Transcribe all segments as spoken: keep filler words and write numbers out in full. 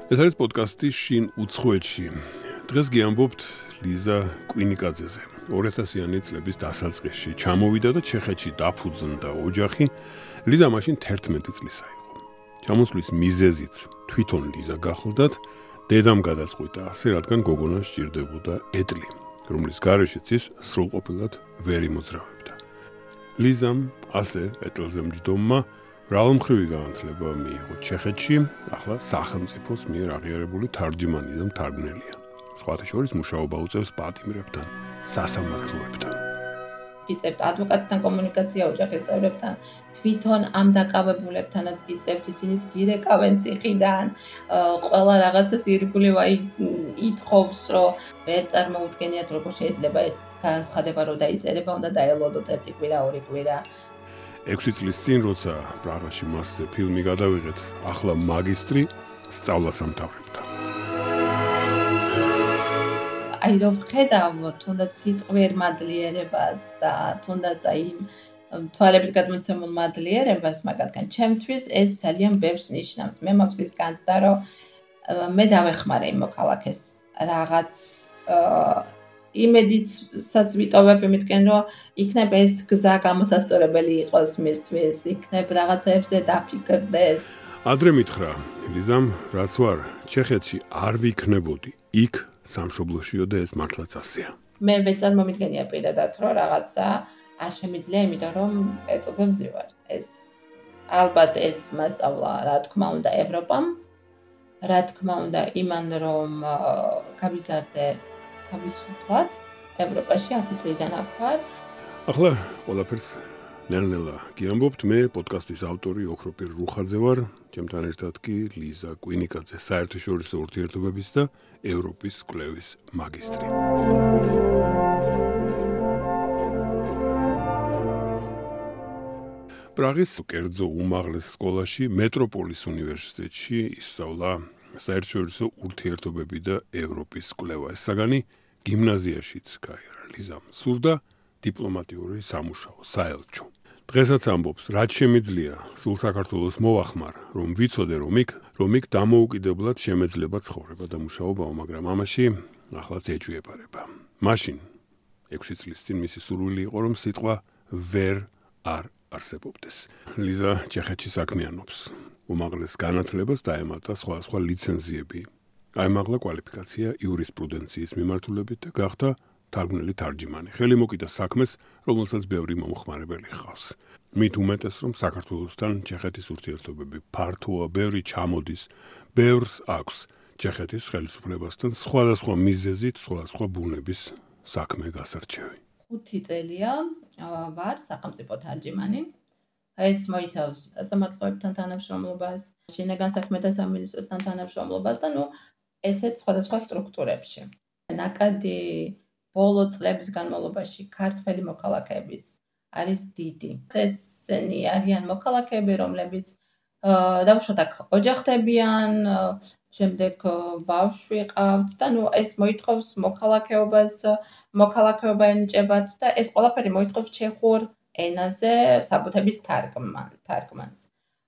ეს არის პოდკასტი შინ უცხოეთში. დღეს გიამბობთ ლიზა კვინიკაძეზე. ორი ათასიანი წლების დასაწყისში ჩამოვიდა და ჩეხეთში დაფუძნდა ოჯახი. ლიზა მაშინ თერთმეტი წლისა იყო. ჩამოსვლის მიზეზიც თვითონ ლიზა გახლდათ, დედამ გადაწყვიტა ასე, რადგან გოგონა სჭირდებოდა ეტლი, რომლის გარეშეც ის სრულყოფილად ვერ იმოძრავებდა. ლიზამ ასე ეტლზე მჯდომმა მრავალმხრივი განათლება მიიღო ჩეხეთში, ახლა სახელმწიფოს მიერ აღიარებული თარჯიმანი და მთარგმნელია. სხვათა შორის მუშაობა უწევს პატიმრებთან, სასამართლოებთან. იწევთ ადვოკატთან კომუნიკაცია ოჯახის წევრებთან, თვითონ ამ დაკავებულებთანაც იწევთ, ისინიც გირეკავენ ციხიდან, ყველა რაღაცას ირგვლივ აი ითხოვს, რომ ვერ წარმოუდგენიათ, როგორ შეიძლება განცხადება, რომ დაიწერება, უნდა დაელოდოთ ერთი კვირა, ორი კვირა. ექვსი წლის წინ, როცა პრაღაში მასზე ფილმი გადავიღეთ, ახლა მაგისტრი სწავლას ამთავრებდა. აი რომ ვხედავ თუნდაც სიტყვიერ მადლიერებას და თუნდაც აი თვალებით გადმოცემულ მადლიერებას, მაგალითად ჩემთვის ეს ძალიან ბევრს ნიშნავს. მე მაქვს ის განცდა, რომ მე დავეხმარე იმ მოქალაქეს რაღაც იმედიცაც ვიტოვებ იმითკენ, რომ იქნებ ეს გზა გამოსასწორებელი იყოს მისთვის, იქნებ რაღაცებზე დაფიქრდეს. ადრე მითხრა ლიზამ, რაც ვარ ჩეხეთში არ ვიქნებოდი, იქ სამშობლოშიო და ეს მართლაც ასეა. მე ვერ წარმომიდგენია პირადად, რომ რაღაცა არ შემიძლია, იმიტომ რომ ეტლზე ვზივარ. ეს ალბათ ეს მასწავლა, რა თქმა უნდა, ევროპამ, რა თქმა უნდა, იმან რომ გავიზარდე თავისუფლად ევროპაში ათი წლიდან აქ ვარ. ახლა ყველაფერს ნელ-ნელა გიამბობთ. მე პოდკასტის ავტორი ოქროპირ რუხაძე ვარ, ჩემთან ერთად კი ლიზა კვინიკაძე, საერთაშორისო ურთიერთობების და ევროპის კვლევის მაგისტრი. პრაღის კერძო უმაღლეს სკოლაში, მეტროპოლის უნივერსიტეტში ისწავლა საერთაშორისო ურთიერთობები და ევროპის კვლევა. ეს საგანი გიმნაზიაშიც გაიარა ლიზამ. სურდა დიპლომატიური სამუშაო, საელჩო. დღესაც ამბობს, რაც შემიძლია, სულ საქართველოს მოვახმარ, რომ ვიცოდე, რომ იქ, რომ იქ დამოუკიდებლად შემეძლება ცხოვრება და მუშაობაო, მაგრამ ამაში ახლაც ეჭვიებარება. მაშინ, ექვსი წლის წინ მისი სურვილი იყო, რომ სიტყვა ვერ არ არსებობდეს. ლიზა ჩეხეთში საქმიანობს. უმაღლეს განათლებას დაემატა სხვადასხვა ლიცენზიები. აიმაღლა კვალიფიკაცია იურისპრუდენციის მიმართულებით და გახდა თარგმნელი თარჯიმანი. ხელი მოკიდა საქმეს, რომელსაც ბევრი მომხმარებელი ჰყავს. მით უმეტეს, რომ საქართველოსთან ჩეხეთის ურთიერთობები ფართოა, ბევრი ჩამოდის, ბევრს აქვს ჩეხეთის ხელისუფლებასთან სხვადასხვა მიზეზით, სხვადასხვა ბუნების საქმე გასარჩევი. ხუთი წელია ვარ სახელმწიფო თარჯიმანი. ეს მოიცავს სასამართლოებთან თანამშრომლობას, შინაგან საქმეთა სამინისტროსთან თანამშრომლობას და ნუ ესეც სხვადასხვა სტრუქტურებში. ნაკადი ბოლო წლების განმავლობაში ქართველი მოქალაქეების არის დიდი. ესენი არიან მოქალაქეები, რომლებიც დავუშვათ აქ ოჯახდებიან, შემდეგ ბავშვი ყავთ და ნუ ეს მოითხოვს მოქალაქეობას, მოქალაქეობა ენიჭებათ და ეს ყველაფერი მოითხოვს ჩეხურ ენაზე საბუთების თარგმანს.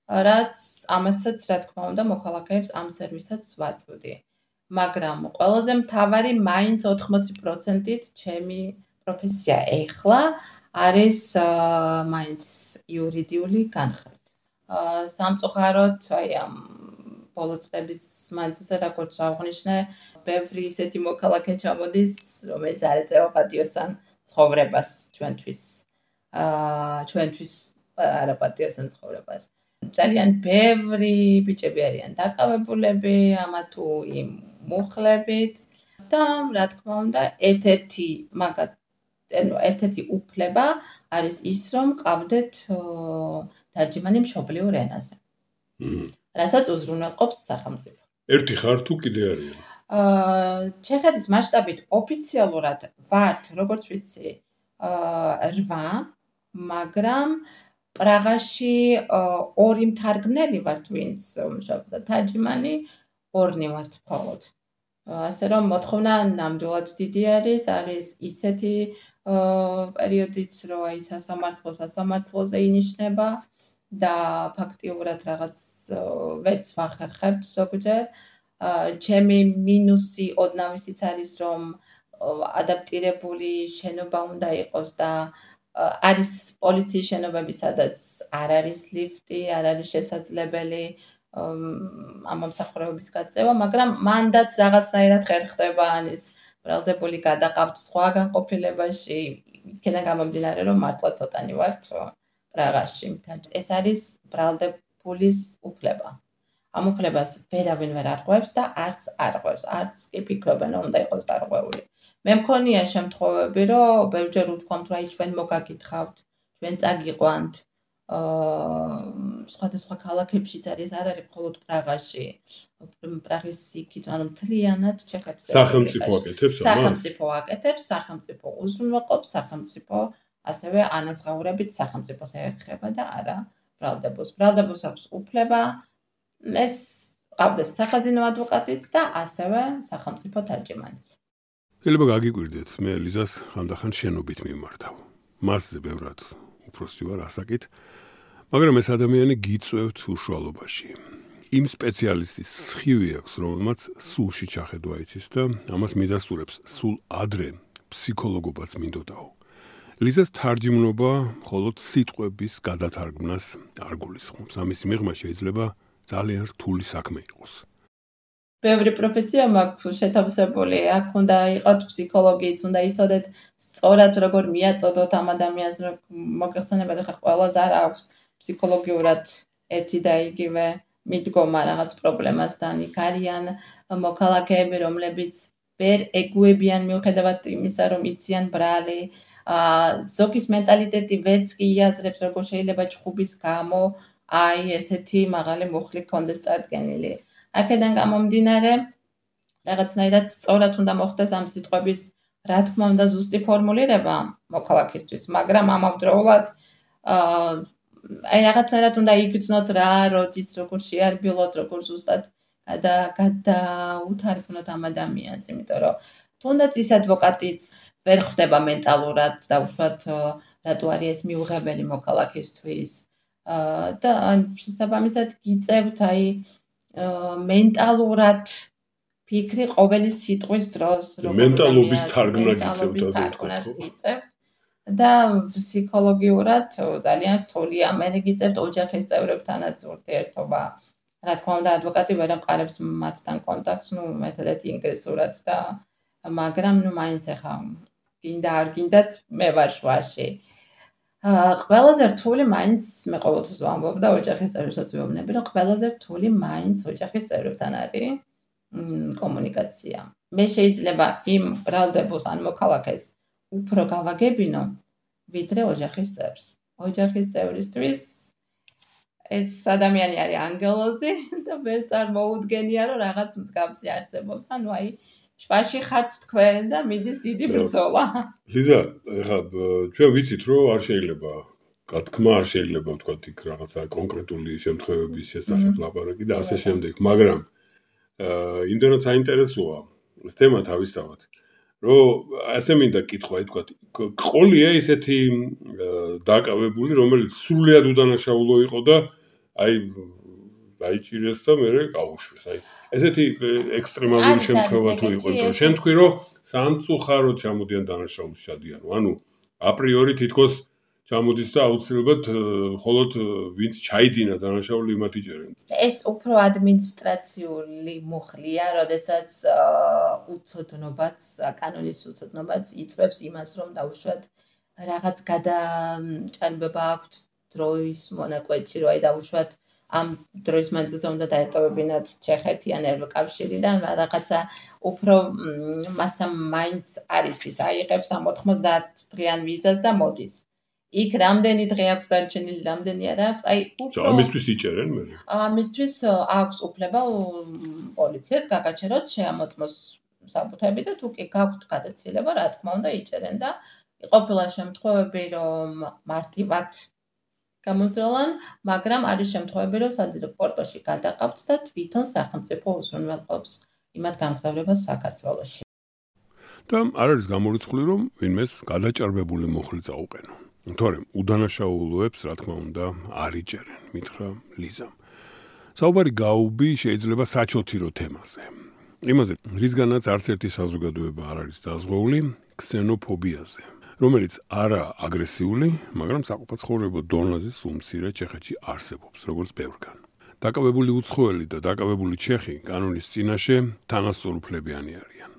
რაც ამასაც, რა თქმა უნდა, მოქალაქეებს ამ სერვისაც ვაწვდი. მაგრამ ყველაზე მთავარი მაინც ოთხმოცი პროცენტით ჩემი პროფესია ეხლა არის მაინც იურიდიული განხრით. სამწუხაროდ, აი ამ ბოლო წლების მანძილზე, როგორც აღვნიშნე, ბევრი ისეთი მოქალაქე ჩამოდის, რომელიც არ ეწევა პატიოსან ცხოვრებას ჩვენთვის. ჩვენთვის არა პატიოსან ცხოვრებას. ძალიან ბევრი ბიჭები არიან დაკავებულები ამა თუ იმ მუხლებით და რა თქმა უნდა, ერთ-ერთი მაგათ, ანუ ერთ-ერთი უფლება არის ის, რომ ყავდეთ თარჯიმანი მშობლიურ ენაზე. რასაც უზრუნველყოფს სახელმწიფო. ერთი ხარ თუ კიდე არიან? ჩეხეთის მასშტაბით ოფიციალურად ვართ, როგორც ვიცი, რვა, მაგრამ პრაღაში ორი მთარგმნელი ვართ, ვინც მუშაობს და თარჯიმანი ორნი ვართ მხოლოდ. ასე რომ მოთხოვნა ნამდვილად დიდი არის, არის ისეთი პერიოდიც, რომ აი სასამართლო სასამართლოზე ინიშნება და ფაქტიურად რაღაც ვერც ვახერხებთ ზოგჯერ ჩემი მინუსი ოდნავისიც არის, რომ ადაპტირებული შენობა უნდა იყოს და არის პოლიციის შენობები, სადაც არ არის ლიფტი, არ არის შესაძლებელი ამ მომსახურების გაწევა, მაგრამ მანდაც რაღაცნაირად ხერ ხდება ანის ბრალდებული გადაყავთ სხვა განყოფილებაში, იქიდან გამომდინარე, რომ მართლა ცოტანი ვართ პრაღაში. ეს არის ბრალდებულის უფლება. ამ უფლებას ვერავინ ვერ არღვევს და არც არღვევს, არც კი ფიქრობენ, რომ უნდა იყოს დარღვეული. მე მქონია შემთხვევები, რომ ბევრჯერ უთქვამთ, რომ აი ჩვენ მოგაკითხავთ, ჩვენ წაგიყვანთ. სხვადასხვა ქალაქებშიც არის, არ არის მხოლოდ პრაღაში. პრაღის იქით, ანუ მთლიანად ჩეხეთის სახელმწიფო აკეთებს ამას? სახელმწიფო აკეთებს, სახელმწიფო უზრუნველყოფს, სახელმწიფო ასევე ანაზღაურებით სახელმწიფოს ეხება და არა ბრალდებულს. ბრალდებულს აქვს უფლება ეს ყავდეს სახაზინო ადვოკატიც და ასევე სახელმწიფო თარჯიმანიც. შეიძლება გაგიკვირდეთ, მე ლიზას ხანდახან შენობით მიმართავ. მასზე ბევრად უფროსი ვარ ასაკით, მაგრამ ეს ადამიანი გიწევთ უშუალობაში. იმ სპეციალისტის სხივი აქვს, რომელმაც სულში ჩახედვა იცის და ამას მიდასტურებს სულ ადრე ფსიქოლოგობაც მინდოდაო. ლიზას თარჯიმნობა მხოლოდ სიტყვების გადათარგმნას არ გულისხმობს. ამის მიღმა შეიძლება ძალიან რთული საქმე იყოს. ბევრი პროფესია მაქვს შეთავსებული, აქ უნდა იყოთ ფსიქოლოგიც, უნდა იცოდეთ სწორად როგორ მიაწოდოთ ამ ადამიანს, რომ მოგეხსენებათ, ხა ყველას არ აქვს ფსიქოლოგიურად ერთი და იგივე მიდგომა რაღაც პრობლემასთან. იქ არიან მოქალაქეები, რომლებიც ვერ ეგუებიან მიუხედავად იმისა, რომ იციან ბრალი. ზოგის მენტალიტეტი ვერც კი იაზრებს, როგორ შეიძლება ჩხუბის გამო აი ესეთი მაღალი მუხლი კონდეს წარდგენილი. აქედან გამომდინარე, რაღაცნაირად სწორად უნდა მოხდეს ამ სიტყვების, რა თქმა უნდა, ზუსტი ფორმულირება მოქალაქისთვის, მაგრამ ამავდროულად აი რაღაცნაირად უნდა იგრძნოთ რა, როდის, როგორ შეარბილოთ, როგორ ზუსტად გადაუთარგმნოთ ამ ადამიანს, იმიტომ რომ თუნდაც ის ადვოკატიც ვერ ხვდება მენტალურად და უშუალოდ რატო არის ეს მიუღებელი მოქალაქისთვის და შესაბამისად გიწევთ აი მენტალურად ფიქრი ყოველი სიტყვის დროს, მენტალობის თარგმნა გიწევთ და ფსიქოლოგიურად ძალიან რთულია. მე გიწევთ ოჯახის წევრებთანაც ურთიერთობა. რა თქმა უნდა, ადვოკატი ვერ ამყარებს მათთან კონტაქტს, ნუ ერთადერთი ინგლისურად და მაგრამ ნუ მაინც ახლა გინდა არ გინდათ მე ვარ შვაში. ყველაზე რთული მაინც მე ყოველთვის ვამბობ და ოჯახის წევრებსაც ვეუბნები, რომ ყველაზე რთული მაინც ოჯახის წევრებთან არის კომუნიკაცია. მე შეიძლება იმ ბრალდებულს ან მოქალაქეს უფრო გავაგებინო, ვიდრე ოჯახის წევრს. ოჯახის წევრისთვის ეს ადამიანი არის ანგელოზი და ვერ წარმოუდგენია, რომ რაღაც მსგავსი არსებობს. ანუ აი შვაში ხართ თქვენ და მიდის დიდი ბრძოლა. ლიზა, ეხლა ჩვენ ვიცით, რომ არ შეიძლება, თქმა არ შეიძლება ვთქვათ იქ რაღაცა კონკრეტული შემთხვევების შესახებ ლაპარაკი და ასე შემდეგ, მაგრამ იმდენად საინტერესოა ეს თემა თავისთავად, რომ ასე მინდა კითხვა, ითქვათ, ყოლია ისეთი დაკავებული, რომელიც სრულიად უდანაშაულო იყო და აი დაიჭირეს და მე გაუშვეს. აი ესეთი ექსტრემალური შემთხვევა თუ იყო, იმიტომ შენ თქვი რომ სამწუხაროდ ჩამოდიან დანაშაულს ჩადიან. ანუ აპრიორი თითქოს ჩამოდის და აუცილებლად მხოლოდ ვინც ჩაიდინა დანაშაული იმათ იჭერენ. ეს უფრო ადმინისტრაციული მუხლია, როდესაც უცოდნობაც, კანონის უცოდნობაც იწვევს იმას, რომ დაუშვათ რაღაც გადაჭარბება აქვთ დროის მონაკვეთში, რომ აი დაუშვათ ამ დროის მანძილზე უნდა დაეტოვებინათ ჩეხეთი ან ევროკავშირიდან რაღაცა უფრო მასა მაინც არის ის აიღებს ამ ოთხმოცდაათ დღიან ვიზას და მოდის. იქ რამდენი დღე აქვს დარჩენილი, რამდენი არ აქვს, აი უფრო ამისთვის იჭერენ მე. ამისთვის აქვს უფლება პოლიციას გაგაჩეროთ, შეამოწმოს საბუთები და თუ კი გაქვთ გადაცილება, რა თქმა უნდა იჭერენ და ყოფილა შემთხვევები, რომ მარტივად გამოძრალან, მაგრამ არის შემთხვევები, რომ სადიდო-პორტოში გადაყავთ და თვითონ სახელმწიფო უზრუნველყოფს იმათ გამგზავრებას საქართველოში. და არ არის გამორიცხული, რომ ვინმეს გადაჭარბებული მუხლი წაუყენო. თორემ უდანაშაულოებს, რა თქმა უნდა, არ იჭერენ, მითხრა ლიზამ. საუბარი გაუბი შეიძლება საჩოთირო თემაზე. იმაზე, რისგანაც არც ერთი საზოგადოება არ არის დაზღვეული ქსენოფობიაზე, რომელიც არა აგრესიული, მაგრამ საყოფაცხოვრებო დონეზე სულ მცირე ჩეხეთში არსებობს, როგორც ბევრგან. დაკავებული უცხოელი და დაკავებული ჩეხი კანონის წინაშე თანასწორუფლებიანი არიან.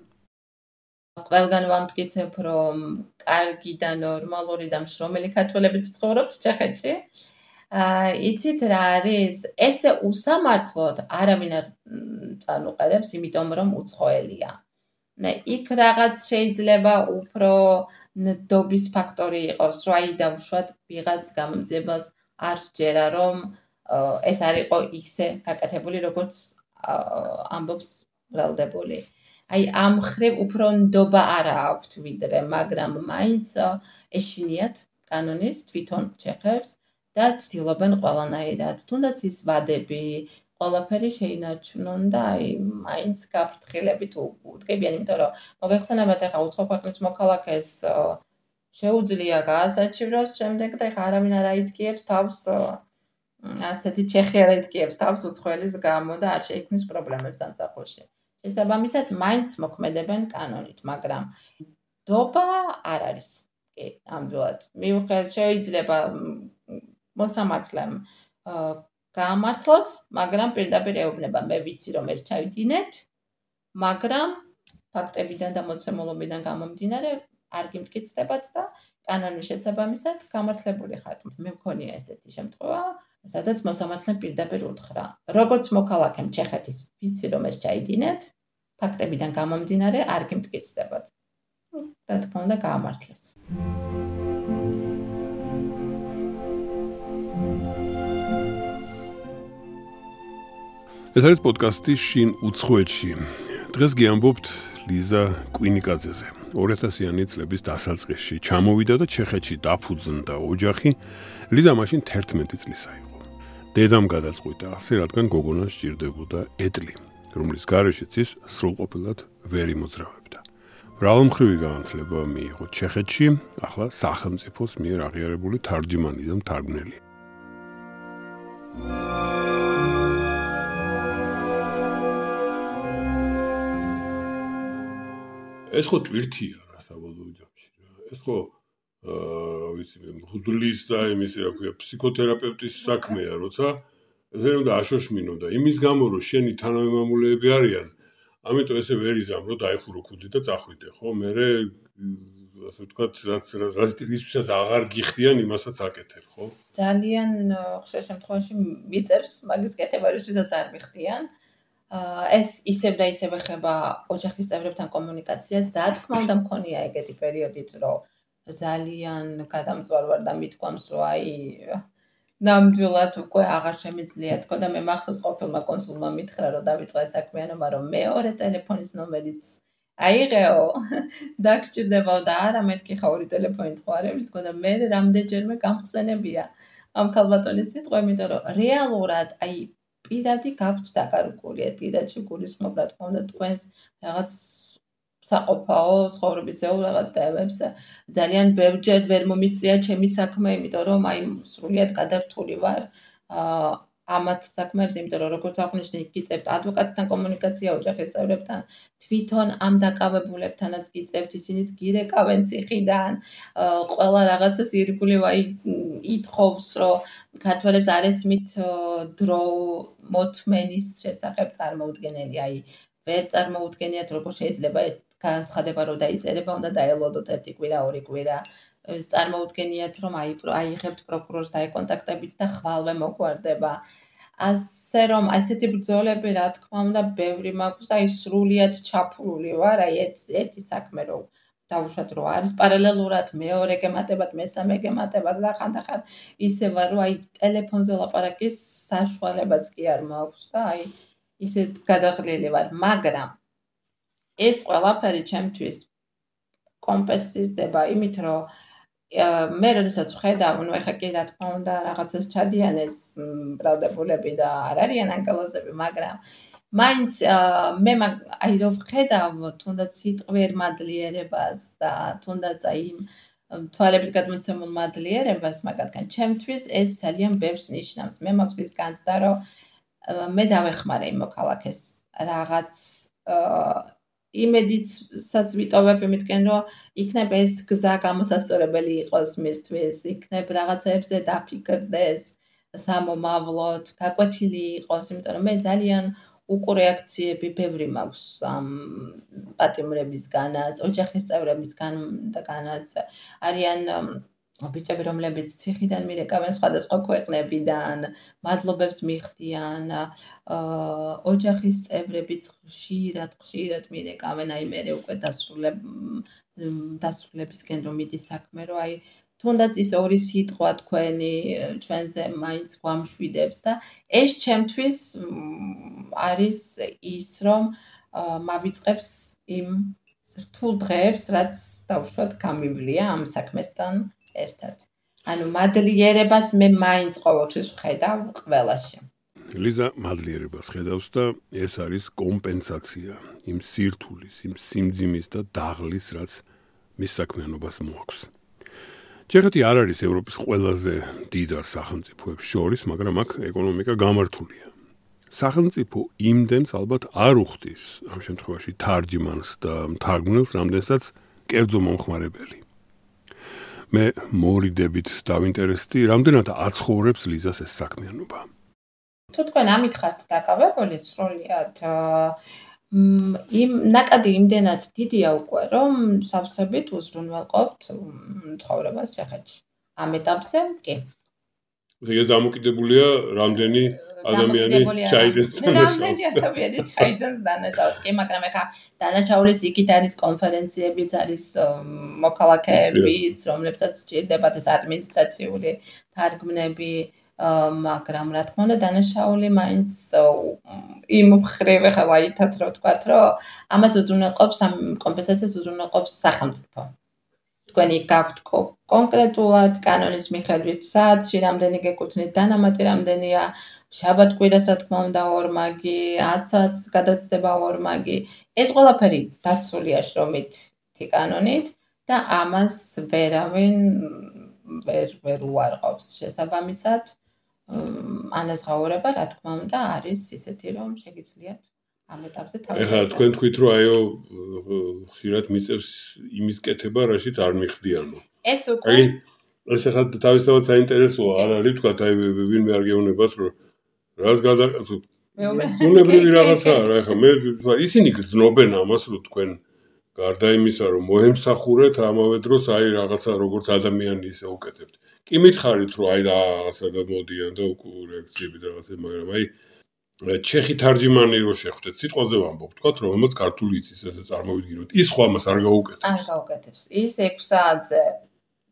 ყველგან ვამტკიცებ, რომ კარგი და ნორმალური და მშრომელი ქართველებიც ცხოვრობთ ჩეხეთში. იცით რა არის? ესე უსამართლოდ არავინ არ წანუყენებს, იმიტომ რომ უცხოელია. იქ რაღაც შეიძლება უფრო ნდობის ფაქტორი იყოს, რომ აი დავუშვათ ვიღაც გამომძიებას არ სჯერა, რომ ეს არ იყო ისე გაკეთებული, როგორც ამბობს ბრალდებული. აი ამ მხრივ უფრო ნდობა არ აქვთ ვიდრე, მაგრამ მაინც ეშინიათ კანონის თვითონ ჩეხებს და ცდილობენ ყველანაირად, თუნდაც ის ვადები, ყველაფერი შეინარჩუნონ და აი მაინც გაფრთხილებით უდგებიან, იმიტომ რომ მოგეხსენებათ ახლა უცხო ქვეყნის მოქალაქეს შეუძლია გაასაჩივროს შემდეგ და ახლა არავინ არ აიტკიებს თავს არც ერთი ჩეხი არ აიტკიებს თავს უცხოელის გამო და არ შეიქმნის პრობლემებს სამსახურში. შესაბამისად, მაინც მოქმედებენ კანონით, მაგრამ ნდობა არ არის. კი, ნამდვილად. მიუხედავად შეიძლება მოსამართლემ გაამართლოს, მაგრამ პირდაპირ ეუბნება, მე ვიცი რომ ეს ჩავიდინეთ, მაგრამ ფაქტებიდან და მოცემულობიდან გამომდინარე არ გიმტკიცდებათ და კანონის შესაბამისად გამართლებული ხართ. მე მქონია ესეთი შემთხვევა, სადაც მოსამართლემ პირდაპირ უთხრა, როგორც მოქალაქემ ჩეხეთის, ვიცი რომ ეს ჩაიდინეთ, ფაქტებიდან გამომდინარე არ გიმტკიცდებათ. რა თქმა უნდა გაამართლეს. ეს არის პოდკასტი შინ უცხოეთში. დღეს გიამბობთ ლიზა კვინიკაძეზე. ორი ათასიანი წლების დასაწყისში ჩამოვიდა და ჩეხეთში დაფუძნდა ოჯახი. ლიზა მაშინ თერთმეტი წლისა იყო. დედამ გადაწყვიტა ასე, რადგან გოგონას სჭირდებოდა ეტლი, რომლის გარეშეც ის სრულყოფილად ვერ იმოძრავებდა. მრავალმხრივი განათლება მიიღო ჩეხეთში, ახლა სახელმწიფოს მიერ აღიარებული თარჯიმანი და მთარგმნელი. ეს ხო ტვირთია რა საბოლოო ჯამში რა. ეს ხო აა ვიცი მე მღვდლის და იმის რა ქვია ფსიქოთერაპევტის საქმეა, როცა ესე უნდა აშოშმინო და იმის გამო რომ შენი თანამემამულეები არიან, ამიტომ ესე ვერ იზამ რომ დაიხურო ქუდი და წახვიდე, ხო? მე ასე ვთქვათ, რაც რაც ისვისაც აღარ გიხდიან, იმასაც აკეთებ, ხო? ძალიან ხშირ შემთხვევაში მიწევს მაგის კეთება, ისვისაც არ მიხდიან. ეს ისევ და ისევ ეხება ოჯახის წევრებთან კომუნიკაციას. რა თქმა უნდა მქონია ეგეთი პერიოდიც, რომ ძალიან გადამწვარ ვარ და მithქვამს, რომ აი ნამდვილად უკვე აღარ შემიძლია თქო და მე მახსოვს ყოფილმა კონსულმა მითხრა, რომ დავიწყე საქმიანობა, რომ მეორე ტელეფონის ნომერიც აიღეო, დაგჭირდებაო და არა მეთქი ხა ორი ტელეფონით ხვარები, თქო და მე რამდენჯერმე გამხსენებია ამ ქალბატონის სიტყვა, იმიტომ რომ რეალურად აი პირადი გაქვთ დაკარგული, პირადში გულისხმობ, რა თქმა უნდა, თქვენს რაღაც საყოფაო ცხოვრებისეულ რაღაც თემებს ძალიან ბევრჯერ ვერ მომისწრია ჩემი საქმე, იმიტომ რომ აი სრულიად გადართული ვარ ამათ საქმეებს, იმიტომ რომ როგორც აღნიშნე, გიწევთ ადვოკატთან კომუნიკაცია ოჯახის წევრებთან, თვითონ ამ დაკავებულებთანაც გიწევთ, ისინიც გირეკავენ ციხიდან, ყველა რაღაცას ირგვლივ აი ითხოვს, რომ ქართველებს არ ესმით დრო მოთმენის შესახებ წარმოუდგენელი, აი ვერ წარმოუდგენიათ, როგორ შეიძლება განცხადება რომ დაიწერება, უნდა დაელოდოთ ერთი კვირა, ორი კვირა. წარმოუდგენიათ, რომ აიღებთ პროკურორს დაეკონტაქტებით და ხვალვე მოგვარდება. ასე რომ ასეთი ბრძოლები, რა თქმა უნდა, ბევრი მაქვს და აი სრულიად ჩაფლული ვარ, აი ერთი საქმე რომ დავუშვათ, რომ არის პარალელურად, მეორე გემატებათ, მესამე გემატებათ და ხანდახან ისე ვარ, რომ აი ტელეფონზე ლაპარაკის საშუალებაც კი არ მაქვს და აი ისე გადაღლილი ვარ, მაგრამ ეს ყველაფერი ჩემთვის კომპენსირდება იმით, რომ მე როდესაც ვხედავ, ნუ ეხა კი რა თქმა უნდა რაღაცას ჩადიან ეს ბრალდებულები და არ არიან ანგელოზები, მაგრამ მაინც მე აი რომ ვხედავ თუნდაც სიტყვიერ მადლიერებას და თუნდაც აი თვალებით გადმოცემულ მადლიერებას, მაგათგან ჩემთვის ეს ძალიან ბევრს ნიშნავს. მე მაქვს ის განცდა, რომ მე დავეხმარე იმ მოქალაქეს რაღაც იმედიცაც ვიტოვებ იმითკენ, რომ იქნებ ეს გზა გამოსასწორებელი იყოს მისთვის, იქნებ რაღაცებზე დაფიქრდეს სამომავლოდ, გაკვეთილი იყოს, იმიტომ რომ მე ძალიან უკუ რეაქციები ბევრი მაქვს ამ პატიმრებისგანაც, ოჯახის წევრებისგანაც, არიან ბიჭები, რომლებიც ციხიდან მირეკავენ სხვადასხვა ქვეყნებიდან, მადლობებს მიხდიან, ოჯახის წევრებიც ხშირად, ხშირად მირეკავენ, აი მე უკვე დასრულებისკენ რომ მიდის საქმე, რომ აი თუნდაც ის ორი სიტყვა თქვენი ჩვენზე მაინც გვამშვიდებს და ეს ჩემთვის არის ის, რომ მავიწყებს იმ რთულ დღეებს, რაც დავუშვათ გამივლია ამ საქმესთან ერთად. ანუ მადლიერებას მე მაინც ყოველთვის ვხედავ ყველაში. ლიზა მადლიერებას ხედავს და ეს არის კომპენსაცია იმ სირთულის, იმ სიმძიმის და დაღლის, რაც მის საქმიანობას მოაქვს. ჩეხეთი არ არის ევროპის ყველაზე დიდარ სახელმწიფოებს შორის, მაგრამ აქ ეკონომიკა გამართულია. სახელმწიფო იმდენს ალბათ არ უხდის ამ შემთხვევაში თარჯმანს და მთარგმნელს, რამდენსაც კერძო მომხმარებელი. მე მორიდებით დავინტერესდი, რამდენად აცხოვრებს ლიზას ეს საქმიანობა. თუ თქვენ ამით ხართ დაკავებული სრულიად, იმ ნაკადი იმდენად დიდია უკვე, რომ სავსებით უზრუნველყოფთ ცხოვრებას ჩეხეთში. ამ ეტაპზე კი. ეს დამოკიდებულია რამდენი ადამიანი ჩაიდენს დანაშაულს. რამდენი ადამიანი ჩაიდენს დანაშაულს. კი, მაგრამ ეხა დანაშაულის იქით არის კონფერენციებიც, არის მოქალაქეებიც, რომლებსაც სჭირდებათ ეს ადმინისტრაციული თარგმნები, მაგრამ რა თქმა უნდა დანაშაული მაინც იმ მხრივ ეხლა აითათ რომ ვთქვათ, რომ ამას უზრუნველყოფს ამ კომპენსაციას უზრუნველყოფს სახელმწიფო. თქვენი გაქვთ კონკრეტულად კანონის მიხედვით საათში რამდენი გეკუთვნით, დანამატი რამდენია, შაბათ-კვირას რა თქმა უნდა ორმაგი, ათსაც გადაცდება ორმაგი. ეს ყველაფერი დაცულია შრომით კანონით და ამას ვერავინ ვერ ვერ უარყოფს შესაბამისად. ანაზღაურება რა თქმა უნდა არის ისეთი, რომ შეგიძლიათ ამ ეტაპზე თავი. ეხლა თქვენ თქვით, რომ აიო ხშირად მიწევს იმის კეთება, რაშიც არ მიხდიანო. ეს უკვე აი ეს ახლა თავისთავად საინტერესოა, არ არის თქვა, აი ვინმე არ გეუბნებათ, რომ რას გადაკეთო. უნებრივი რაღაცაა რა, ეხლა მე ისინი გძნობენ ამას, რომ თქვენ გარდა იმისა, რომ მოემსახურეთ, ამავე დროს აი რაღაცა როგორც ადამიანი ისე უკეთებთ. კი მითხარით, რომ აი რაღაცა გამოდიან და უკუ რეაქციები და რაღაცა, მაგრამ აი ჩეხი თარჯიმანი რო შეხვდეთ, სიტყვაზე ვამბობ, თქვათ, რომელმაც ქართული იცის, ესე წარმოვიდგინოთ. ის ხო ამას არ გაუკეთებს. არ გაუკეთებს. ის ექვს საათზე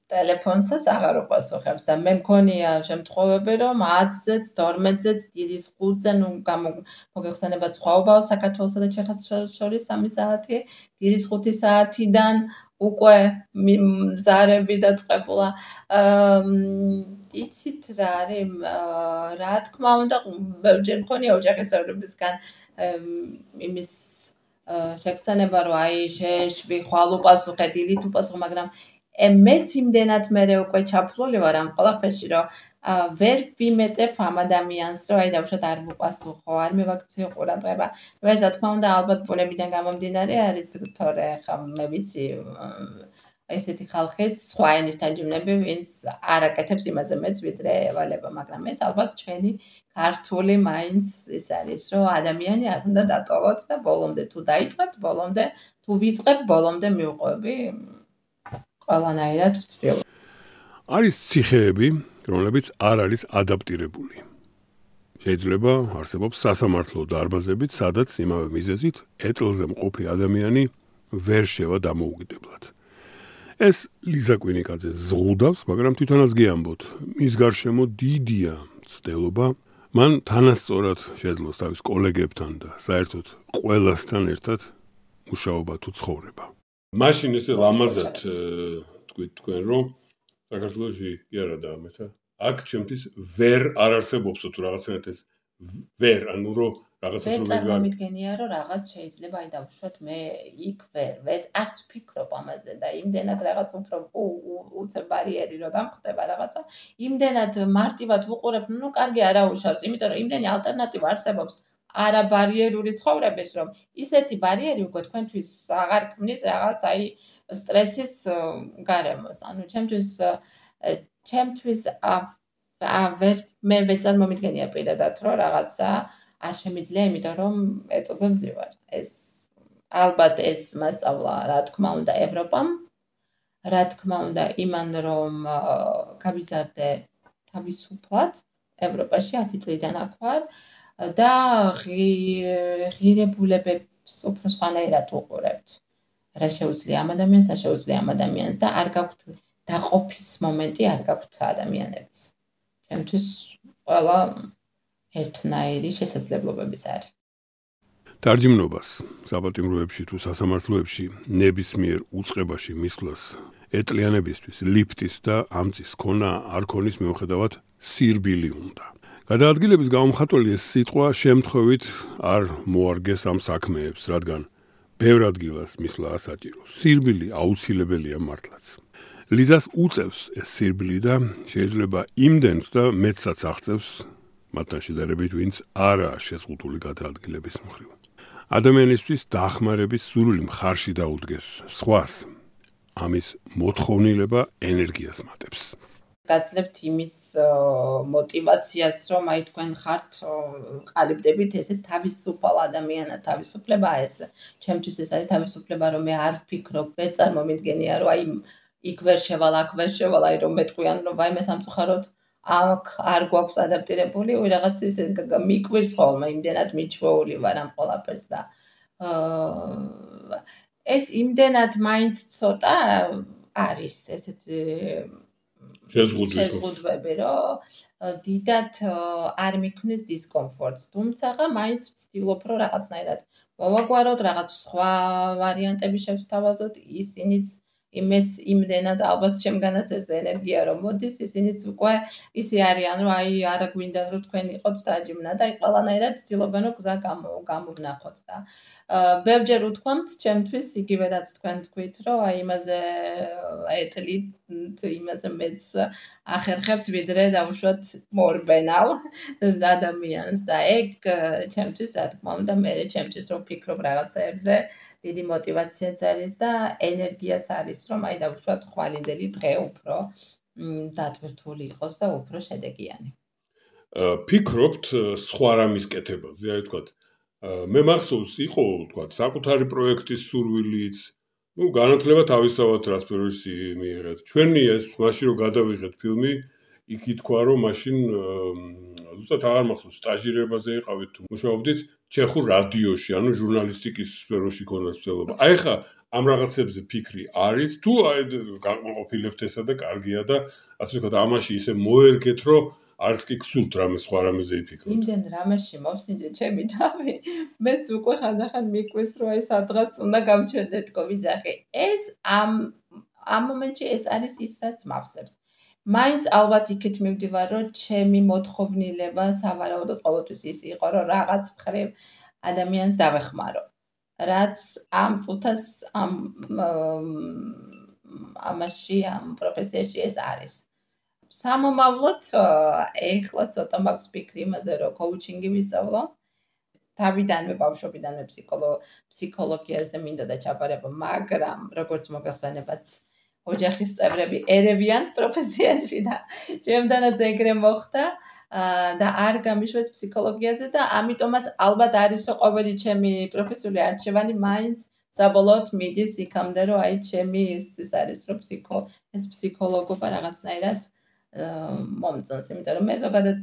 ტელეფონსაც აღარ უპასუხებს და მე მქონია შემთხვევები, რომ ათზეც, თორმეტზეც, დიდის ხუთზე, ნუ მოგეხსენებათ სხვაობა საქართველოსა და ჩეხეთს შორის სამი საათი, დიდის ხუთი საათიდან უკვე მზარები დაწყებულა. იცით რა არის, რა თქმა უნდა, ბევრჯერ მქონია ოჯახის წევრებისგან იმის შეგრძნება, რომ აი შეეშვი, ხვალ უპასუხე, დილით უპასუხე, მაგრამ მეც იმდენად მე უკვე ჩაფლული ვარ ამ ყველაფერში, რომ ვერ ვიმეტებ ამ ადამიანს, რომ აი დავუშვათ არ ვუპასუხო, არ მივაქციო ყურადღება. ეს რა თქმა უნდა ალბათ ბუნებიდან გამომდინარე არის, თორე ხა მე ვიცი ესეთი ხალხიც სხვა ენის თარჯიმნები, ვინც არ აკეთებს იმაზე მეც ვიდრე ევალება, მაგრამ ეს ალბათ ჩვენი ქართული მაინც ის არის, რომ ადამიანი არ უნდა დატოვოთ და ბოლომდე თუ დაიწყებთ, ბოლომდე თუ ვიწყებ, ბოლომდე მივყვები. ყველანაირად ვცდილობ. არის ციხეები, რომლებიც არ არის ადაპტირებული. შეიძლება არსებობს სასამართლო დარბაზებიც, სადაც იმავე მიზეზით ეტლზე მყოფი ადამიანი ვერ შევა დამოუკიდებლად. ეს ლიზა კვინიკაძე ზღუდავს, მაგრამ თვითონაც გიამბოთ, მის გარშემო დიდია ცდელობა, მან თანასწორად შეძლოს თავის კოლეგებთან და საერთოდ ყველასთან ერთად მუშაობა თუ ცხოვრება. მაშინ ესე ლამაზად თქვით თქვენ, რომ საქართველოში კი არა და ამეცა აქ ჩემთვის ვერ არ არსებობსო თუ რაღაცნაირად ეს ვერ, ანუ რომ რაღაცას ვერ რომ ვიგარ. წარმომიდგენია, რომ რაღაც შეიძლება აი დავუშვათ მე იქ ვერ ვერ ახს ვფიქრობ ამაზე და იმდენად რაღაც უფრო უცებ ბარიერი რომ დამხვდება რაღაცა, იმდენად მარტივად ვუყურებ, ნუ კარგი არა უშავს, იმიტომ რომ იმდენი ალტერნატივა არსებობს არა ბარიერული ცხოვრების, რომ ისეთი ბარიერი უკვე თქვენთვის აღარ ქმნის რაღაც აი სტრესის გარემოს. ანუ ჩემთვის ჩემთვის ვერ მე ვერ წარმომიდგენია პირადად რომ რაღაცა არ შემიძლია, იმიტომ რომ ეტოზე ვძივარ. ეს ალბათ ეს მასწავლა, რა თქმა უნდა, ევროპამ, რა თქმა უნდა, იმან რომ გავიზარდე თავისუფლად ევროპაში ათი წლიდან აქ ვარ და ღირებულებებს უფრო სხვანაირად ვუყურებთ. რა შეუძლია ამ ადამიანს, რა შეუძლია ამ ადამიანს და არ გაქვთ დაყოფის მომენტი არ გაქვთ ადამიანების. ჩემთვის ყველა ერთნაირი შესაძლებლობების არის. დარჯიმნობას საპატიმროებში თუ სასამართლოებში ნებისმიერ უწყებაში მისვლას ეტლიანებისთვის ლიფტის და ამწის ქონა არ ქონის მიუხედავად სირბილი უნდა. გადაადგილების გამომხატველი ეს სიტყვა შემთხვევით არ მოარგეს ამ საქმეებს, რადგან ბევრ ადგილას მისვლა ასაჭირო. სირბილი აუცილებელია მართლაც. ლიზას უწევს ეს სირბილი და შეიძლება იმდენს და მეტსაც აღწევს მათთან შედარებით, ვინც არაა შეზღუდული გადაადგილების მხრივ. ადამიანისთვის დახმარების სურვილი მხარში დაუდგეს სხვას. ამის მოთხოვნილება ენერგიას მატებს. გაძლევთ იმის мотиваციას, რომ აი თქვენ ხართ ყალიბდებით ესე თავისუფალ ადამიანად, თავისუფლება ეს ჩემთვის ეს არის თავისუფლება, რომ მე არ ვფიქრობ, ვერ წარმომიდგენია, რომ აი იქ ვერ შევალ, აქ ვერ შევალ, აი რომ მეტყვიან, რომ აი მე სამწუხაროდ აქ არ გვაქვს ადაპტირებული, ой რაღაც ისე მიკვირს ხოლმე, იმდენად მიჩვეული ვარ ამ ყველაფერს და ეს იმდენად მაინც ცოტა არის ესეთი შეზღუდვები, რომ დიდად არ მიქმნის დისკომფორტს, თუმცა მაინც ვცდილობ, რომ რაღაცნაირად მოვაგვაროთ, რაღაც სხვა ვარიანტები შევსთავაზოთ, ისინიც იმეც იმდენად ალბათ შემგანაც ეს ენერგია რომ მოდის, ისინიც უკვე ისე არიან, რომ აი არა გვინდა რომ თქვენ იყოთ დაჯიმნა და აი ყველანაირად ცდილობენ რომ გზა გამოვნახოთ და ბევრჯერ უთქვამთ ჩემთვის იგივე რაც თქვენ თქვით, რომ აი იმაზე ეტლით, იმაზე მეც ახერხებთ, ვიდრე დავუშვათ მორბენალ ადამიანს და ეგ ჩემთვის რა თქმა უნდა მე ჩემთვის რომ ვფიქრობ რაღაცეებზე დიდი мотиваციაც არის და ენერგიაც არის, რომ აი დავუშვათ ხვალინდელი დღე უფრო დატვირთული იყოს და უფრო შედეგიანი. ფიქრობთ სხვა რამის კეთებაზე, აი ვთქვათ, მე მახსოვს იყო, ვთქვათ, საკუთარი პროექტის სურვილიც, ну, განათლება თავისთავად რას პირველში მიიღეთ. ჩვენი ეს მაშინ რომ გადავიღეთ ფილმი, იქ ითქვა, რომ მაშინ ზუსტად აღარ მახსოვს, სტაჟირებაზე იყავით თუ მუშაობდით ჩეხურ რადიოში, ანუ ჟურნალისტიკის სფეროში ქონდა ცდილობა. აი ხა ამ რაღაცებზე ფიქრი არის, თუ აი განყოფილებთ ესა და კარგია და ასე ვთქვათ, ამაში ისე მოერგეთ, რომ არც კი გსურთ რამე სხვა რამეზე იფიქროთ. იმდენ რამეში მოვსინჯე ჩემი თავი, მეც უკვე ხანდახან მიკვეს, რომ აი სადღაც უნდა გავჩერდეთკო ვიძახი. ეს ამ ამ მომენტში ეს არის ის, რაც მავსებს. მაინც ალბათ იქით მივდივარ, რომ ჩემი მოთხოვნილება სავარაუდოდ ყოველთვის ის იყო, რომ რაღაც მხრივ ადამიანს დავეხმარო. რაც ამ წუთას ამ ამაში, ამ პროფესიაში ეს არის. სამომავლოდ ეხლა ცოტა მაქვს ფიქრი იმაზე, რომ კოუჩინგი ვისწავლო. თავიდანვე ბავშვობიდანვე ფსიქოლოგიაზე მინდოდა ჩაბარება, მაგრამ როგორც მოგახსენებათ, ოჯახის წევრები ერევიან პროფესიაში და ჩემთანაც ეგრე მოხდა და არ გამიშვეს ფსიქოლოგიაზე და ამიტომაც ალბათ არის რომ ყოველი ჩემი პროფესიული არჩევანი მაინც საბოლოოდ მიდის იქამდე, რომ აი ჩემი ის არის რომ ფსიქო ეს ფსიქოლოგობა რაღაცნაირად მომწონს, იმიტომ რომ მე ზოგადად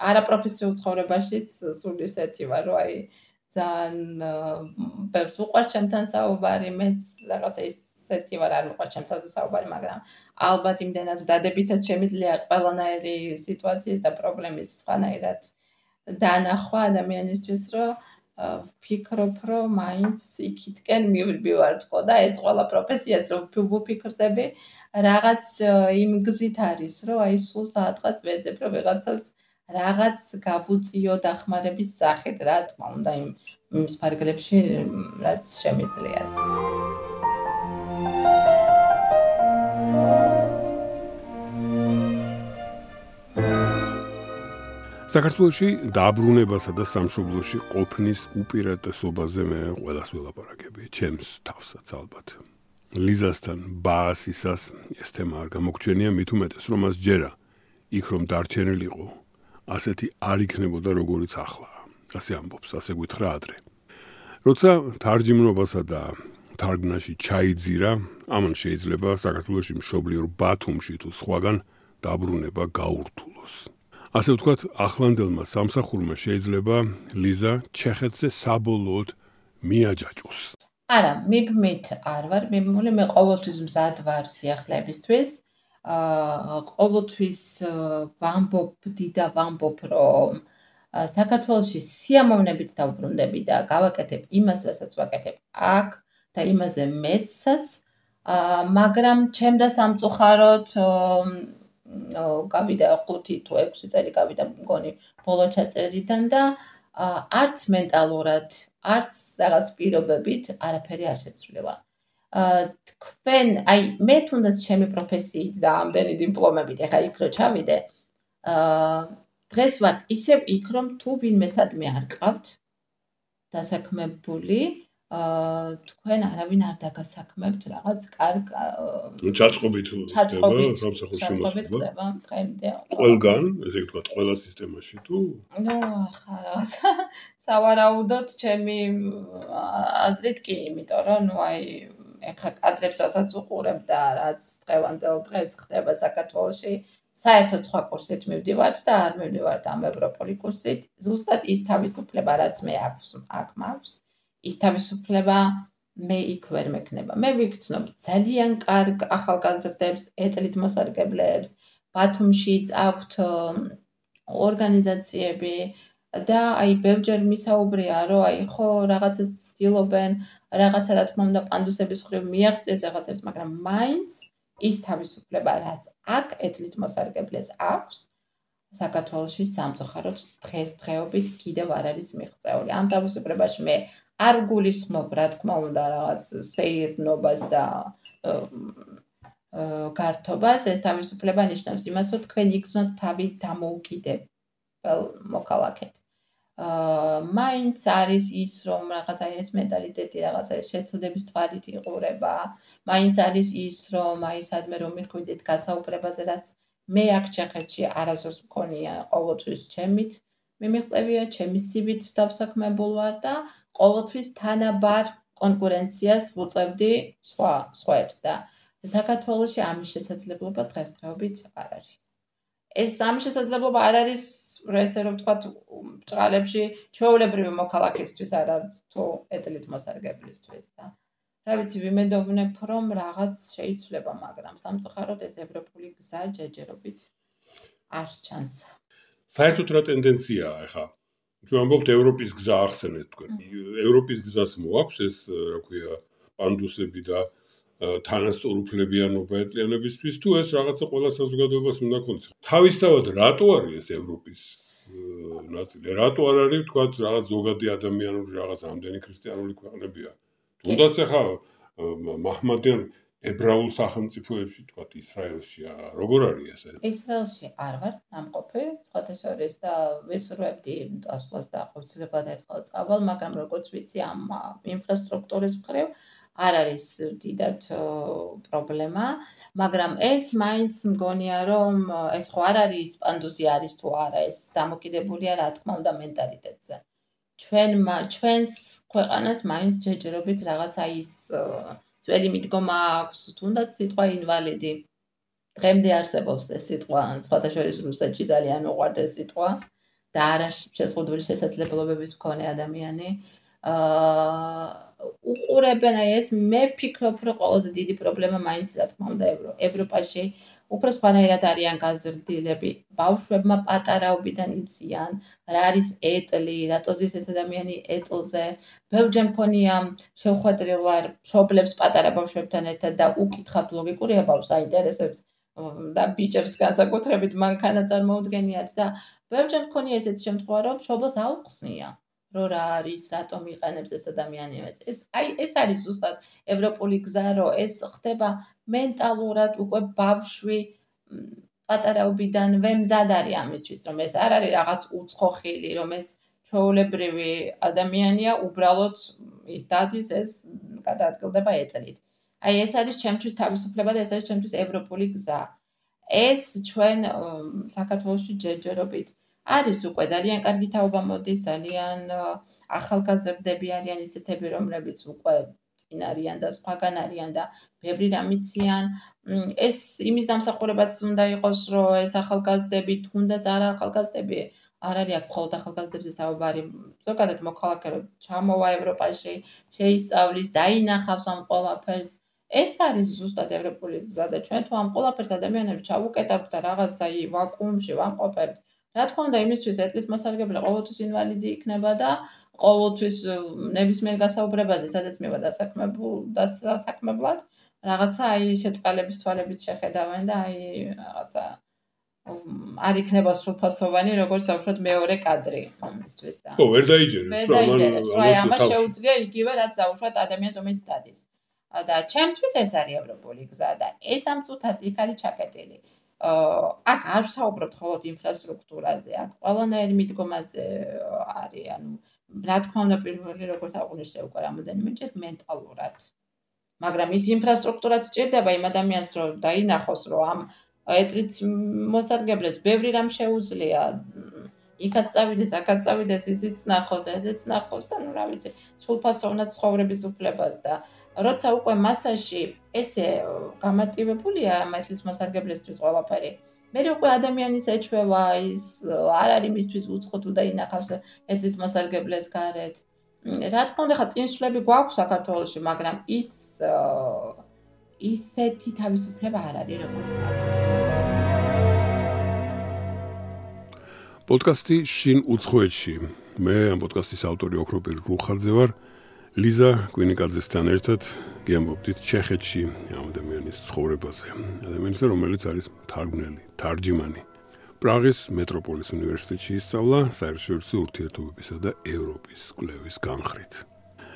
არაპროფესიულ ცხოვრებაშიც სულ ისეთი ვარ, რომ აი ძალიან ბევრს უყვარს ჩემთან საუბარი, მეც რაღაცა ისეთი ვარ, არ მიყვარს ჩემთან საუბარი, მაგრამ ალბათ იმდენად დადებითად შემიძლია ყველანაირი სიტუაციის და პრობლემის სხვანაირად დანახვა ადამიანისთვის, რომ ვფიქრობ, რომ მაინც იქითკენ მივდივართქო და ეს ყველა პროფესიაც რომ ვფიქრდები, რაღაც იმ გზით არის, რომ აი სულ საათღაც ვეძებ, რომ ვიღაცას რაღაც გავუწიო დახმარების სახით, რა თქმა უნდა, იმ იმის ფარგლებში, რაც შემიძლია. საქართველოში დაბრუნებასა და სამშობლოში ყოფნის უპირატესობაზე მე ყველას ველაპარაკები, ჩემს თავსაც ალბათ. ლიზასთან ბაასისას ეს თემა არ გამოგჩენია, მით უმეტეს, რომ მას ჯერა იქ რომ დარჩენილიყო, ასეთი არ იქნებოდა როგორიც ახლა. ასე ამბობს, ასე გითხრა ადრე. როცა თარჯიმნობასა და თარგმნაში ჩაიძირა, ამან შეიძლება საქართველოში მშობლიურ ბათუმში თუ სხვაგან დაბრუნება გაურთულოს. ასე ვთქვათ, ახლანდელმა სამსახურმა შეიძლება ლიზა ჩეხეთზე საბოლოოდ მიაჯაჭოს. არა, მიბმით არ ვარ, მიბმული მე ყოველთვის მზად ვარ სიახლეებისთვის. აა ყოველთვის ვამბობდი და ვამბობ, რომ საქართველოში სიამოვნებით დავბრუნდები და გავაკეთებ იმას, რასაც ვაკეთებ აქ და იმაზე მეცაც, მაგრამ ჩემდა სამწუხაროდ გავიდა ხუთი თუ ექვსი წელი გავიდა მგონი ბოლო ჩაწერიდან და არც მენტალურად, არც რაღაც პირობებით არაფერი არ შეცვლილა. თქვენ, აი მე თუნდაც ჩემი პროფესიით და ამდენი დიპლომებით, ეხა იქ რო ჩავიდე, დღეს ვარ ისევ იქ, რომ თუ ვინმე სადმე არ ყავთ დასაქმებული, თქვენ არავინ არ დაგასაქმებთ რაღაც კარგ ჩაწყობით ხდება სამსახურში მოსვლა დღემდე ყველგან ესე ვთქვათ ყველა სისტემაში თუ ნუ ახლა რაღაცა სავარაუდოდ ჩემი აზრით კი, იმიტომ რომ ნუ აი ეხლა კადრებსაც უყურებ და რაც დღევანდელ დღეს ხდება საქართველოში, საერთოდ სხვა კურსით მივდივართ და არ მივდივართ ამ ევროპული კურსით, ზუსტად ის თავისუფლება რაც მე აქვს აქ მაქვს. ის თავისუფლება მე იქ ვერ მექნება. მე ვიგრძნობ ძალიან კარგ ახალგაზრდებს, ეტლით მოსარგებლეებს, ბათუმშიც აქვთ ორგანიზაციები და აი ბევრჯერ მისაუბრია, რომ აი ხო რაღაცას ცდილობენ, რაღაცა რა თქმა უნდა პანდუსების ხრივ მიაღწიეს რაღაცებს, მაგრამ მაინც ის თავისუფლება რაც აქ ეტლით მოსარგებლეს აქვს, საქართველოში სამწუხაროდ დღესდღეობით კიდევ არ არის მიღწეული. ამ თავისუფლებაში მე არ გულისხმობ, რა თქმა უნდა, რაღაც სეირნობას და გართობას, ეს თავისუფლება ნიშნავს იმას, რომ თქვენ იგრძნობთ თავი დამოუკიდებელ მოქალაქედ. მაინც არის ის, რომ რაღაცა ეს მენტალიტეტი, რაღაცა ეს შეცოდების თვალით იყურება, მაინც არის ის, რომ აი სადმე რომ მიხვიდეთ გასაუბრებაზე, რაც მე აქ ჩეხეთში არასდროს მქონია, ყოველთვის ჩემით მიმიღწევია, ჩემი სივით დავსაქმებულ ვარ და ყოველთვის თანაბარ კონკურენციას ვუწევდი სხვა სხვაებს და საქართველოში ამის შესაძლებლობა დღესდღეობით არ არის. ეს ამის შესაძლებლობა არ არის, ესე რომ ვთქვათ, ბრწყალებში ჩვეულებრივი მოქალაქისთვის არა თუ ეტლით მოსარგებლისთვის და რა ვიცი, ვიმედოვნებ, რომ რაღაც შეიცვლება, მაგრამ სამწუხაროდ ეს ევროპული გზა ჯერჯერობით არ ჩანს. საერთოდ რა ტენდენციაა ახლა? თუ ამბობთ ევროპის გზა ახსენეთ თქვენ. ევროპის გზას მოაქვს ეს, რა ქვია, პანდუსები და თანასწორუფლებიანობა ეტლიანებისთვის თუ ეს რაღაცა ყველა საზოგადოებას უნდა ქონდეს. თავისთავად რატო არის ეს ევროპის ნაწილი? რატო არ არის, თქვათ, რაღაც ზოგადი ადამიანური რაღაც ამდენი ქრისტიანული ქვეყნებია? თუნდაც ახლა მაჰმადიან ებრაულ სახელმწიფოებში, თქვათ, ისრაელში, როგორ არის ეს? ისრაელში არ ვარ ნამყოფი, სხვათა შორის და ვისურვებდი წასვლას და აუცილებლად ერთხელ წავალ, მაგრამ როგორც ვიცი, ამ ინფრასტრუქტურის მხრივ არ არის დიდად პრობლემა, მაგრამ ეს მაინც მგონია, რომ ეს ხო არ არის პანდუსი არის თუ არა, ეს დამოკიდებულია, რა თქმა უნდა, მენტალიტეტზე. ჩვენ ჩვენს ქვეყანას მაინც ჯერჯერობით რაღაცა ის ძველი მიდგომა აქვს, თუნდაც სიტყვა ინვალიდი. დღემდე არსებობს ეს სიტყვა, სხვათა შორის რუსეთში ძალიან უყვართ ეს სიტყვა და არა შეზღუდული შესაძლებლობების მქონე ადამიანი. აა უყურებენ აი ეს, მე ვფიქრობ, რომ ყველაზე დიდი პრობლემა მაინც რა თქმა უნდა ევროპაში უფრო სხვანაირად არიან გაზრდილები. ბავშვებმა პატარაობიდან იციან, რა არის ეტლი, რატო ზის ეს ადამიანი ეტლზე. ბევრჯერ მქონია შევხვედრილ ვარ მშობლებს პატარა ბავშვებთან ერთად და უკითხავთ ლოგიკურია ბავშვს აინტერესებს, და ბიჭებს განსაკუთრებით მანქანა წარმოუდგენიათ და ბევრჯერ მქონია ესეთი შემთხვევა, რომ მშობელს აუხსნია, რომ რა არის, რატომ იყენებს ეს ადამიანი ეს. ეს აი ეს არის ზუსტად ევროპული გზა, რომ ეს ხდება მენტალურად უკვე ბავშვი პატარაობიდანვე მზად არის ამისთვის, რომ ეს არ არის რაღაც უცხო ხილი, რომ ეს ჩვეულებრივი ადამიანია, უბრალოდ ის დადის ეს გადაადგილდება ეტლით. აი ეს არის ჩემთვის თავისუფლება და ეს არის ჩემთვის ევროპული გზა. ეს ჩვენ საქართველოში ჯერჯერობით არის უკვე ძალიან კარგი თაობა მოდის, ძალიან ახალგაზრდები არიან ისეთები, რომლებიც უკვე წინ არიან და სხვაგან არიან და ბევრი რამ იციან. ეს იმის დამსახურებაც უნდა იყოს, რომ ეს ახალგაზრდები, თუნდაც არა ახალგაზრდები, არ არის აქ მხოლოდ ახალგაზრდებზე საუბარი, ზოგადად მოქალაქე რომ ჩამოვა ევროპაში, შეისწავლის, დაინახავს ამ ყველაფერს. ეს არის ზუსტად ევროპული გზა და ჩვენ თუ ამ ყველაფერს ადამიანებს ჩავუკეტავთ და რაღაცა ვაკუუმში ვამყოფებთ, რა თქმა უნდა, იმისთვის ეტლით მოსარგებლე ყოველთვის ინვალიდი იქნება და ყოველთვის ნებისმიერ გასაუბრებაზე, სადაც მივა დასაქმებლად, რაღაცა აი შეწყალების თვალებით შეხედავენ და აი რაღაცა არ იქნება სრულფასოვანი, როგორც საერთოდ მეორე კადრი ამისთვის და. ხო, ვერ დაიჯერებს, ვერ დაიჯერებს, აი ამას შეუძლია იგივე, რაც საუბრად ადამიანს რომელიც დადის. და ჩემთვის ეს არის ევროპული გზა და ეს ამ წუთას იქ არის ჩაკეტილი. აქ არ ვსაუბრობთ მხოლოდ ინფრასტრუქტურაზე, აქ ყველანაირი მიდგომაზე არის, ანუ რა თქმა უნდა პირველი როგორც აღვნიშნე უკვე რამოდენიმეჯერ მენტალურად. მაგრამ ის ინფრასტრუქტურაც სჭირდება იმ ადამიანს რომ დაინახოს რომ ამ ეტლით მოსარგებლეს ბევრი რამ შეუძლია. იქაც წავიდეს, აქაც წავიდეს, ისიც ნახოს, ესეც ნახოს და ნუ რა ვიცი, სრულფასოვნად ცხოვრების უფლებას და როცა უკვე მასაში ესე გამარტივებულია ამ ეტლით მოსარგებლესთვის ყველაფერი, მე უკვე ადამიანის ეჩვევა ის არ არის მისთვის უცხო თუ დაინახავს ეტლით მოსარგებლეს გარეთ. რა თქმა უნდა, ხა წინსვლები გვაქვს საქართველოში, მაგრამ ის ისეთი თავისუფლება არ არის როგორც აქ. პოდკასტი შინ უცხოეთში. მე ამ პოდკასტის ავტორი ოქროპირ რუხაძე ვარ. ლიზა კვინიკაძესთან ერთად გიამბობდით ჩეხეთში ამ ადამიანის ცხოვრებაზე. ადამიანზე, რომელიც არის მთარგმნელი, თარჯიმანი. პრაღის მეტროპოლის უნივერსიტეტში ისწავლა საერთაშორისო ურთიერთობებისა და ევროპის კვლევის განხრით.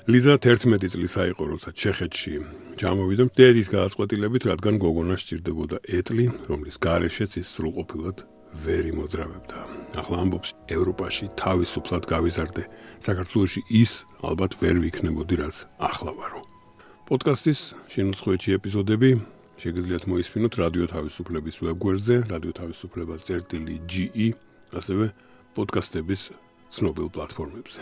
ლიზა თერთმეტი წლის აიყო, როცა ჩეხეთში ჩამოვიდა დედის გადაწყვეტილებით, რადგან გოგონას სჭირდებოდა ეტლი, რომლის გარეშეც ის სრულყოფილად ვერ იმოძრავებდა. ახლა ამბობს, ევროპაში თავისუფლად გავიზარდე. საქართველოში ის ალბათ ვერ ვიქნებოდი, რაც ახლა ვარო. პოდკასტის შინ უცხოეთში ეპიზოდები შეგიძლიათ მოისმინოთ რადიო თავისუფლების ვებგვერდზე, რადიო თავისუფლება წერტილი ჯი ი, ასევე პოდკასტების ცნობილ პლატფორმებზე.